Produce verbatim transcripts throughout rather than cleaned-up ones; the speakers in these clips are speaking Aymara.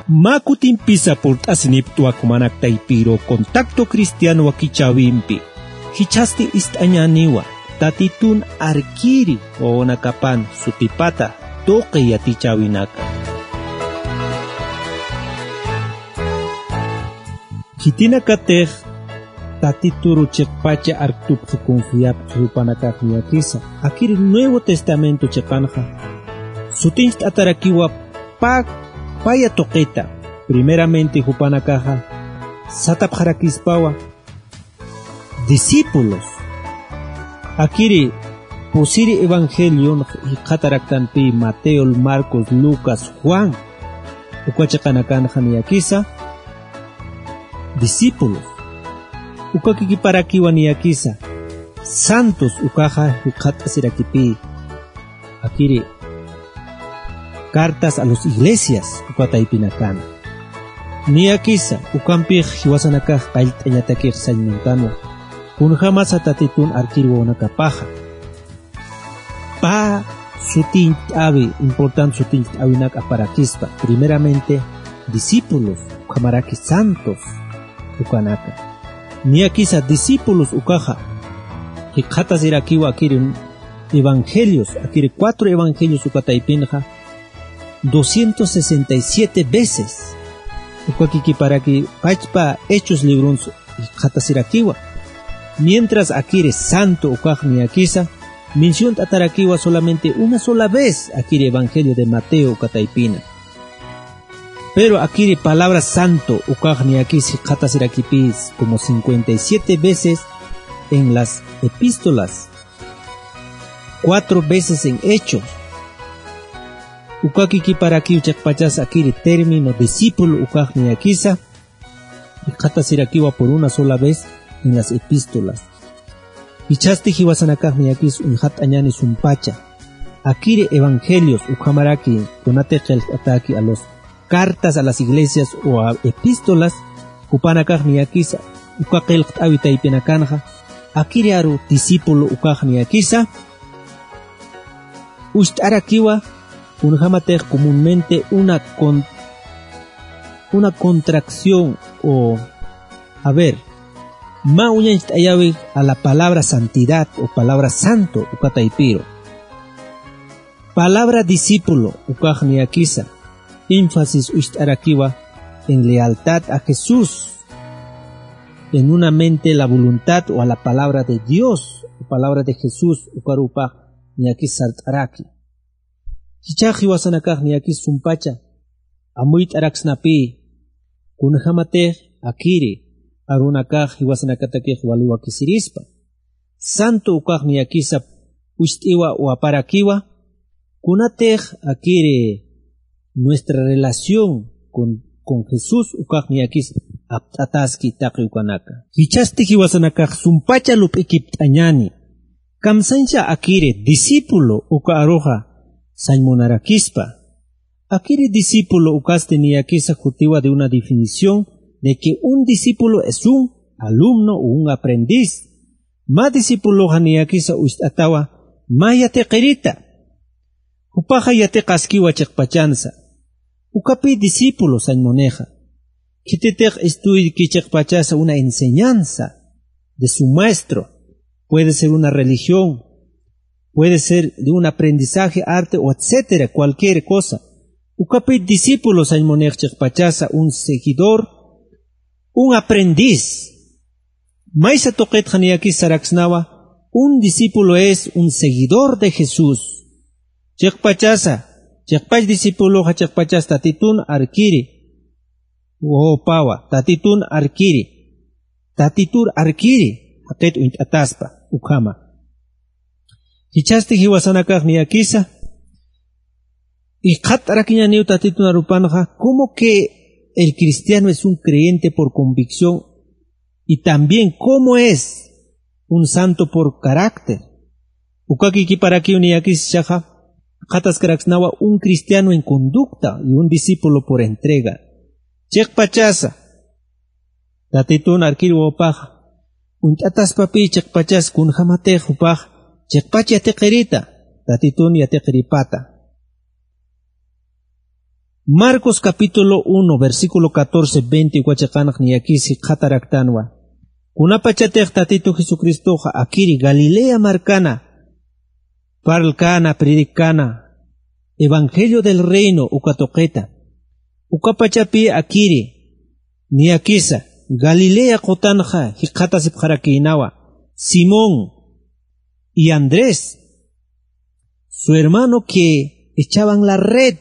Mä kutimpisa purt'asiniptwa jumanak taypiru Contacto Cristiano wakichäwimpi. Jichhasti ist'añäniwa, Tatitun arkiri wawanakapan sutipata tuqi yatichäwinaka. Khitinakatix Tatituru chiqpacha arktupxi confiapxi jupanakax niyakisa. Akir Nuevo Testamento chiqanxa sutincht'atarakiwa pä, paya tuqita. Primeramente jupanakaxa satapxarakispawa discípulos. Akiri pusiri evangelion jikxataraktanpi Mateo, Marcos, Lucas, Juan. Uka chiqanakanxa niyakisa discípulos. Uka kikiparakiwa niyakisa santos ukaxa jikxatasirakipi. Akiri cartas a los iglesias uka taypinakana. Niyakisa ukampix jiwasanakax qallt'añatakix sañ muntanwa. Kunjamasa Tatitun arkir wawanakapaxa pä sutincht'äwi, importante sutincht'äwinak aparakispa. Primeramente discípulos, ukhamaraki santos ukanaka. Niyakisa discípulos ukaxa jikxatasirakiwa akiri evangelios, akiri cuatro evangelios uka taypinxa doscientos sesenta y siete veces. Uka kikiparaki pachpa Hechos libruns jikxatasirakiwa. Mientras akiri santo ukax niyakisa menciont'atarakiwa solamente una sola vez akiri Evangelio de Mateo uka taypina. Pero akiri palabra santo ukax niyakis jikxatasirakipis como cincuenta y siete veces en las epístolas, cuatro veces en Hechos. Uka kikiparakiw chiqpachas akiri término discípulo ukax niyakisa jikxatasirakiwa por una sola vez en las epístolas. Jichhasti jiwasanakax niyakis uñxat'añäni sumpacha akiri evangelios ukhamaraki kunatix qillqt'atäki a los cartas a las iglesias o a epístolas, jupanakax niyakisa uka qillqt'äwi taypinakanxa akiri aru discípulo ukax niyakisa ucht'arakiwa. Kunjamatix comúnmente una con-, una contracción o, a ver, mä uñacht'ayäwi a la palabra santidad o palabra santo uka taypiru. Palabra discípulo ukax niyakisa énfasis ucht'arakiwa en lealtad a Jesús, en una mente la voluntad o a la palabra de Dios o palabra de Jesús ukarupax niyakis sart'araki. Jichhax jiwasanakax niyakis sumpacha amuyt'araksnapï, kunjamatix akiri arunakax jiwasanakatakix wali wakisirispa. Santo ukax niyakisa ucht'iwa o aparakiwa kunatix akiri nuestra relación con, con Jesús ukax niyakis apt'ataski taqi ukanaka. Jichhasti jiwasanakax sumpacha lup'ikipt'añäni. Kamsañsa akiri discípulo uka aruxa sañ munarakispa. Akiri discípulo ukasti niyakisa jutiwa de una definición de que un discípulo es un alumno o un aprendiz. Mä discípuloxa niyakisa ucht'atawa mä yatiqirita. Jupaxa yatiqaskiwa chiqpachansa. Ukapï discípulo sañ munixa. Khititix estudki chiqpachasa una enseñanza de su maestro. Puede ser una religión, puede ser de un aprendizaje, arte o etcétera, cualquier cosa. Ukapï discípulo sañ munix chiqpachasa un seguidor, un aprendiz. Maysa tuqitxa niyakis saraksnawa, un discípulo es un seguidor de Jesús. Chiqpachasa, chiqpach discípuloxa chiqpachas Tatitun arkiri wawapawa, Tatitun arkiri, Tatitur arkiri jaqit uñt'ataspa ukhama. Jichhasti jiwasanakax niyakisa jikxatarakiñäniw Tatitun arupanxa, como que el cristiano es un creyente por convicción y también como es un santo por carácter. Uka kikiparakiw niyakis jichhaxa jikxataskaraksnawa un cristiano en conducta y un discípulo por entrega. Chiqpachasa Tatitun arkir wawapaxa uñt'ataspapï chiqpachas kunjamatix jupax chiqpach yatiqirita, Tatitun yatiqiripata. Marcos capítulo uno, versículo catorce, veinte, uka chiqanx niyakis jikxataraktanwa. Kunapachatix Tatitu Jesucristoxa akiri Galilea markana parlkana, predicana, evangelio del reino uka tuqita. Uka pachapi akiri niyakisa Galilea qutanxa jikxatasipxarakïnawa, Simón y Andrés, su hermano que echaban la red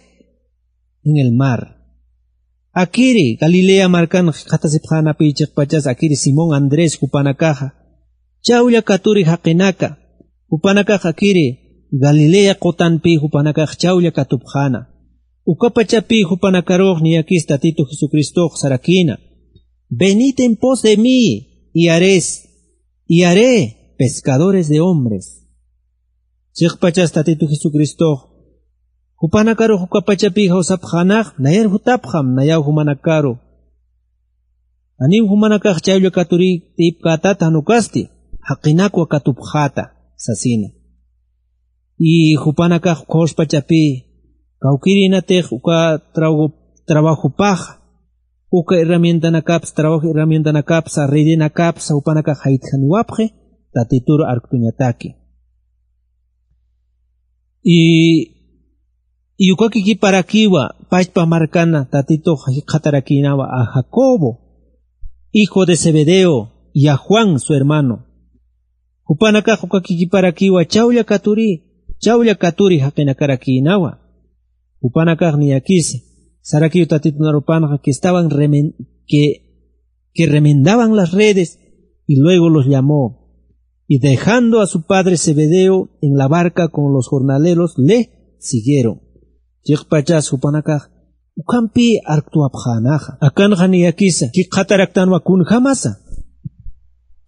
en el mar. Akiri Galilea markan jikxatasipxänapï chiqpachas akiri Simón Andrés jupanakaxa chawlla katuri jaqinaka. Jupanakax akiri Galilea qutanpï jupanakax chawlla katupxäna. Uka pachapï jupanakarux niyakis Tatitu Jesucristox sarakïna: "Venid en pos de mí y haréis, y haré pescadores de hombres". Chiqpachas Tatitu Jesucristox jupanakarux uka pachapï jawsapxänax, nayar jutapxam, nayaw jumanakaru. Janiw jumanakax chawlla katuri tiypkätata, jan ukasti jaqinakwa katupxäta sasina. Y jupanakax ukhawspachapï kawkïrinatix uka trago-, trabajopax, uka herramientanakapsa, trabajo herramientanakapsa, redenakapsa jupanakax jaytjaniwapxi Tatitur arktuñataki. Y, y uka kikiparakiwa pachpa markana Tatitux jikxatarakïnawa a Jacobo, hijo de Zebedeo, y a Juan, su hermano. Jupanakax uka kikiparakiwa chawlla katuri, chawlla katuri jaqinakarakïnawa. Jupanakax niyakisa sarakiw Tatitun arupanxa que estaban remen-, que, que remendaban las redes, y luego los llamó. Y dejando a su padre Zebedeo en la barca con los jornaleros, le siguieron. Chiqpachas jupanakax ukhampï arktwapxänaxa. Akanxa niyakisa jikxataraktanwa kunjamasa.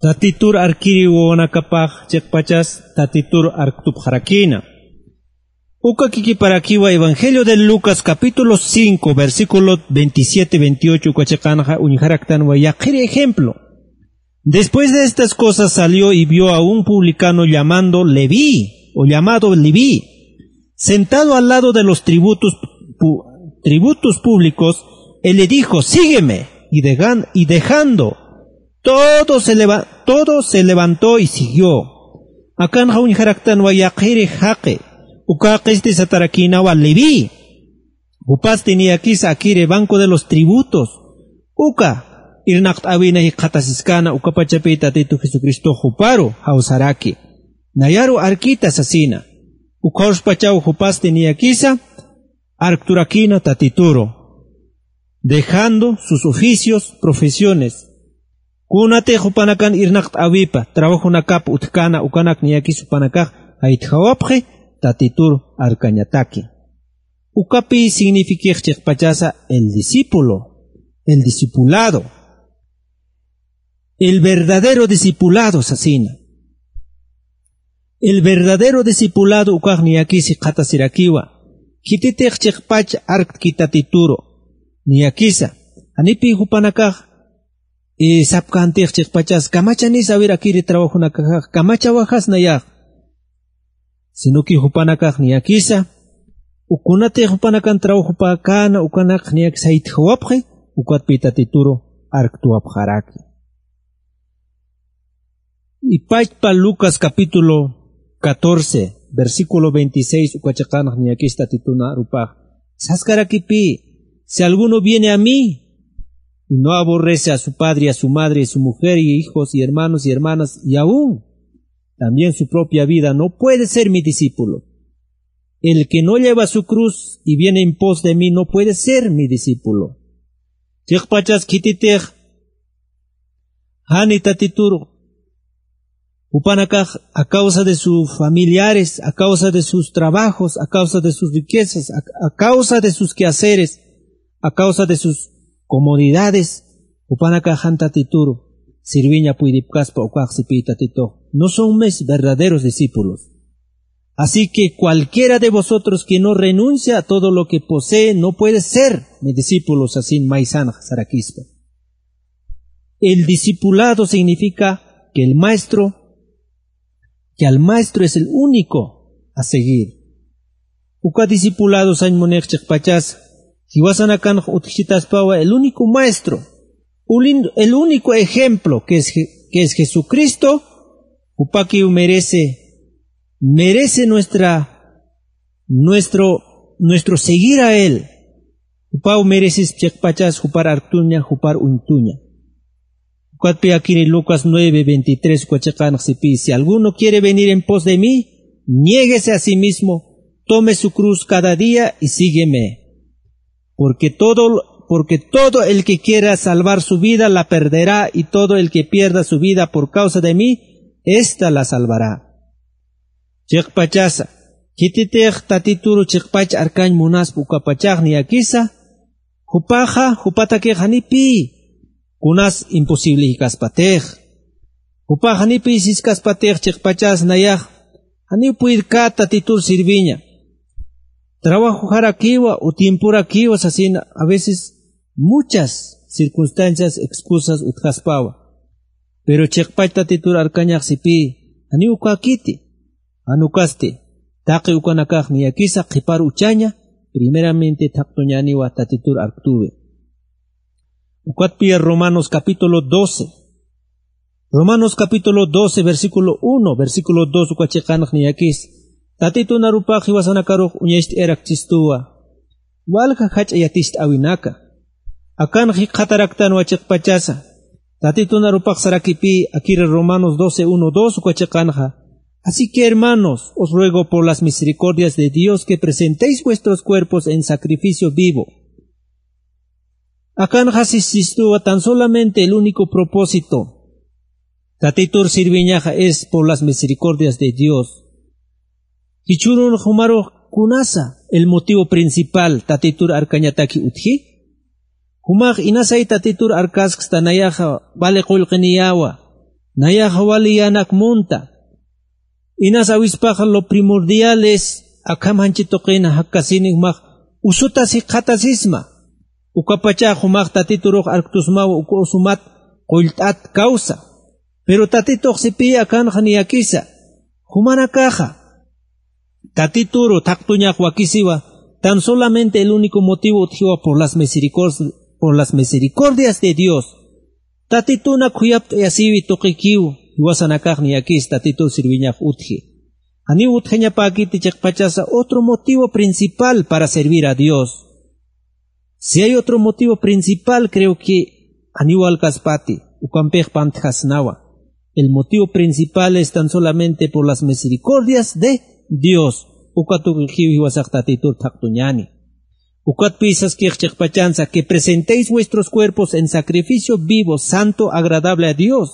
Tatitur arkiri wawanakapax chiqpachas Tatitur arktupxarakïna. Uka kikiparakiwa Evangelio de Lucas capítulo cinco, versículo veintisiete, veintiocho, uka chiqanxa uñjaraktanwa yaqhiri ejemplo. Después de estas cosas salió y vio a un publicano llamando Leví, o llamado Leví, sentado al lado de los tributos pu-, tributos públicos, él le dijo: "Sígueme". Y dejan-, y dejando todo se leva-, todo se levantó y siguió. Akanxa uñjaraktanwa yaqhiri jaqi, uka jaqisti satarakïnawa Leví. Jupasti niyakisa akiri banco de los tributos. Uka irnaqt'äwina jikxatasiskana, uka pachapï Tatitu Jesucristo juparu jawsaraki. Nayaru arkita sasina. Ukhawspachaw jupasti niyakisa arkturakïna Tatituru, dejando sus oficios, profesiones. Kunatix jupanakan irnaqt'äwipa, trabajonakap utjkana, ukanak niyakis jupanakax jaytjawapxi Tatitur arkañataki. Ukapi signifiqix chiqpachasa el discípulo, el discipulado. El verdadero discipulado sasina. El verdadero discipulado ukax niyakis jikxatasirakiwa. Khititix chiqpach arktki Tatituru. Niyakisa. Janipï jupanakax, eh, sapkäntix chiqpachas, kamachanisa a ver akiri trabajonakaxax, kamachawaxas nayax. Sino que jupanakax niyakisa, ukunatix jupanakan trabajopäkäna, ukanakax niyakisa jaytjawapxi, ukatpï Tatituru arktwapxaraki. Y pachpa Lucas capítulo catorce, versículo veintiséis, uka chiqanx niyakis Tatitun arupax saskarakipï: "Si alguno viene a mí y no aborrece a su padre y a su madre, y su mujer y hijos y hermanos y hermanas, y aún también su propia vida, no puede ser mi discípulo. El que no lleva su cruz y viene en pos de mí, no puede ser mi discípulo". Chiqpachas khititix jani Tatituru, jupanakax a causa de sus familiares, a causa de sus trabajos, a causa de sus riquezas, a, a causa de sus quehaceres, a causa de sus comodidades, jupanakax jan Tatituru sirviña puydipkaspa ukax sipï Tatitux. No son mis verdaderos discípulos. Así que cualquiera de vosotros que no renuncia a todo lo que posee no puede ser mi discípulo, sasin maysanx sarakispa. El discipulado significa que el maestro, que al maestro es el único a seguir. Uka discipulado sañ munix chiqpachas, Jiwasanakanx utjchitaspawa el único maestro, ulin- el único ejemplo que es, Je- que es Jesucristo, jupakiw merece, merece nuestra, nuestro, nuestro seguir a él. Jupaw mereces chiqpachas jupar arktuña, jupar uñtuña. Ukatpi akiri Lucas nueve veintitrés uka chiqanx sipi: "Si alguno quiere venir en pos de mí, niéguese a sí mismo, tome su cruz cada día y sígueme. Porque todo, porque todo el que quiera salvar su vida la perderá, y todo el que pierda su vida por causa de mí, ésta la salvará". Chiqpachasa, khititix Tatituru chiqpach arkañ munaspa ukapachax niyakisa, jupaxa, jupatakix janipi kunas imposible jikaspatix. Jupax janipi siskaspatix chiqpachas nayax, janiw puydkät Tatitur sirviña. Trabajo jarakiwa o tiemporakiwa sasina, a veces muchas circunstancias, excusas utjaspawa. Pero chiqpach Tatitur arkañax sipi, janiw ukäkiti. Jan ukasti, taqi ukanakax niyakisa qhipar uchaña, primeramente thaqtuñäniwa Tatitur arktuwi. Ukatpiya Romanos capítulo doce. Romanos capítulo doce, versículo uno, versículo dos uka chiqanx niyakis: Tatitun arupax jiwasanakarux uñacht'ayarakchistuwa. Walja jach'a yaticht'äwinaka. Akan jikxataraktanwa chiqpachasa. Tatitun arupax sarakipï, akiri Romanos doce uno, dos uka chiqanxa: Así que, hermanos, os ruego por las misericordias de Dios que presentéis vuestros cuerpos en sacrificio vivo. Akanxa siskistuwa tan solamente el único propósito Tatitur sirviñaxa es por las misericordias de Dios. Jichhürun jumarux kunasa el motivo principal Tatitur arkañataki utji. Jumax inasay Tatitur arkasksta nayaxa wali qullqiniyäwa, nayaxa wali yänak munta. Inas awispaxa lo primordial es akham janchi tuqina jakasini jumax usutas jikxatasisma. Ukapachax jumax Tatiturux arktusmawa uka usumat qullt'at kawsa. Pero Tatitux sipi akanxa niyakisa. Jumanakaxa Tatituru thaqtuñax wakisiwa, tan solamente el único motivo utjiwa por las misericor- por las misericordias de Dios. Tatitunak khuyapt'ayasiwi tuqikiw, jiwasanakax niyakis Tatitur sirviñax utji. Janiw utjañapäkiti chiqpachasa otro motivo principal para servir a Dios. Si hay otro motivo principal, creo que janiw walkaspati, ukampix pantjasnawa. El motivo principal es tan solamente por las misericordias de Dios. Uka tuqikiw jiwasax Tatitur thaqtuñäni. Ukatpï saskix chiqpachansa: Que presentéis vuestros cuerpos en sacrificio vivo, santo, agradable a Dios.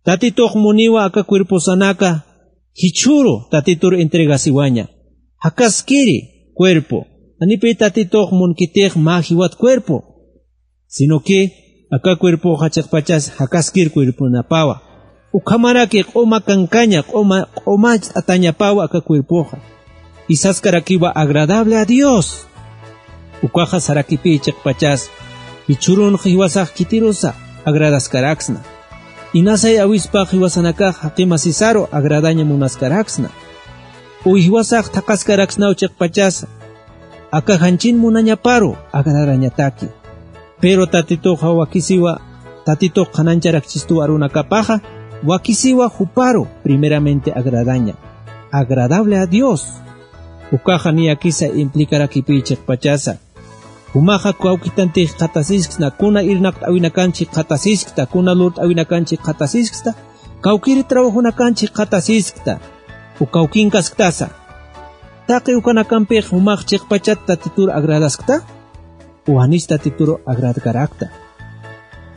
Tatitux muniwa aka cuerposanaka jichhüru Tatitur entregasiwaña. Jakaskiri cuerpo. Janipï Tatitux munkitix mä jiwat cuerpo, sino que aka cuerpoxa chiqpachas jakaskir cuerponapawa. Ukhamaraki q'uma kankaña, q'uma, q'umacht'atañapawa aka cuerpoxa. Y saskarakiwa agradable a Dios. Ukaxa sarakipï chiqpachas, jichhürunx jiwasax khitirusa agradaskaraksna. Inasay awispax jiwasanakax jaqimasisaru agradaña munaskaraksna. Uy jiwasax thaqaskaraksnaw chiqpachasa, aka janchin munañaparu agradañataki. Pero Tatituxa wakisiwa, Tatitux qhanañcharakchistuw arunakapaxa, wakisiwa juparu primeramente agradaña, agradable a Dios. Ukaxa niyakisa implikarakipï chiqpachasa. Jumaxa kawkitantix jikxatasisksna, kuna irnaqt'äwinakanch jikxatasisksna, kuna lurt'äwinakanch jikxatasisksna, kawkiri trabajonakanch jikxatasisksna, u kawkinkasktasa. Taqi ukanakampix jumax chiqpachat Tatitur agradaskta, u janis Tatitur agradkarakta.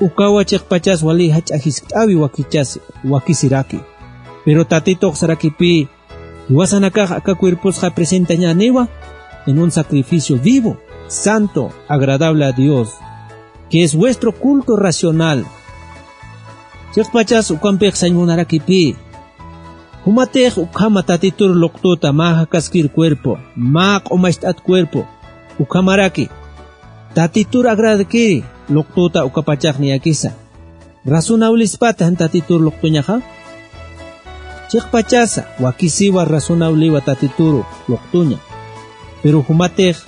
Ukawa chiqpachas wali jach'a jiskt'äwi wakichas, wakisiraki. Pero Tatitux sarakipï, jiwasanakax aka cuerposxa presentañäniwa en un sacrificio vivo, santo, agradable a Dios, que es vuestro culto racional. Chiqpachas ukampix sañ munarakipï. Jumatix ukhama Tatitur luqtuta mä jakaskir cuerpo, mä q'umacht'at cuerpo, ukhamaraki Tatitur agradkiri luqtuta ukapachax niyakisa. ¿Razonablispat jan Tatitur luqtuñaxa? Chiqpachasa, wakisiwa razonablewa Tatituru luqtuña. Pero jumatix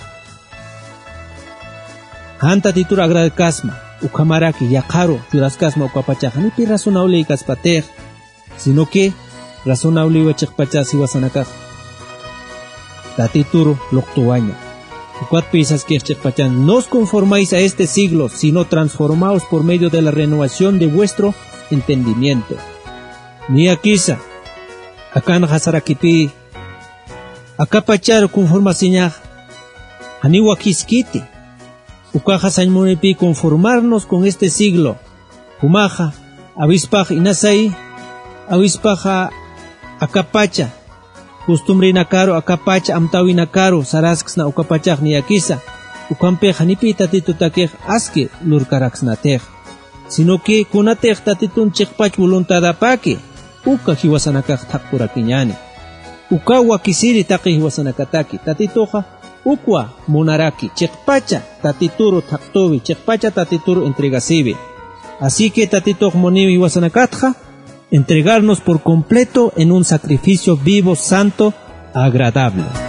Jan Tatitur agradkasma, ukhamaraki yaqharu churaskasma ukapachax, janipi razonable kaspatix, sino que razonable chiqpachas jiwasanakax Tatituru luqtuwaña. Ukatpï saskix chiqpachan: "No os conformáis a este siglo, sino transformaos por medio de la renovación de vuestro entendimiento". Niyakisa, akanxa sarakipï, akapacharu conformasiñax, janiw wakiskiti. Ukaxa sañ munipï conformarnos con este siglo. Jumaxa, awispax inasay, awispaxa akapacha, costumbrenakaru akapacha, amtäwinakaru sarasksna ukapachax niyakisa. Ukhampix janipï Tatitutakix aski lurkaraksnatix. Sino que kunatix Tatitun chiqpach voluntadapaki, uka jiwasanakax thaqpurakiñäni. Ukaw wakisiri taqi jiwasanakataki, Tatituxa ukwa munaraki, chiqpacha Tatituru thaqtuwi, chiqpacha Tatituru entregasiwi. Así que Tatitux muniw jiwasanakatxa entregarnos por completo en un sacrificio vivo, santo, agradable.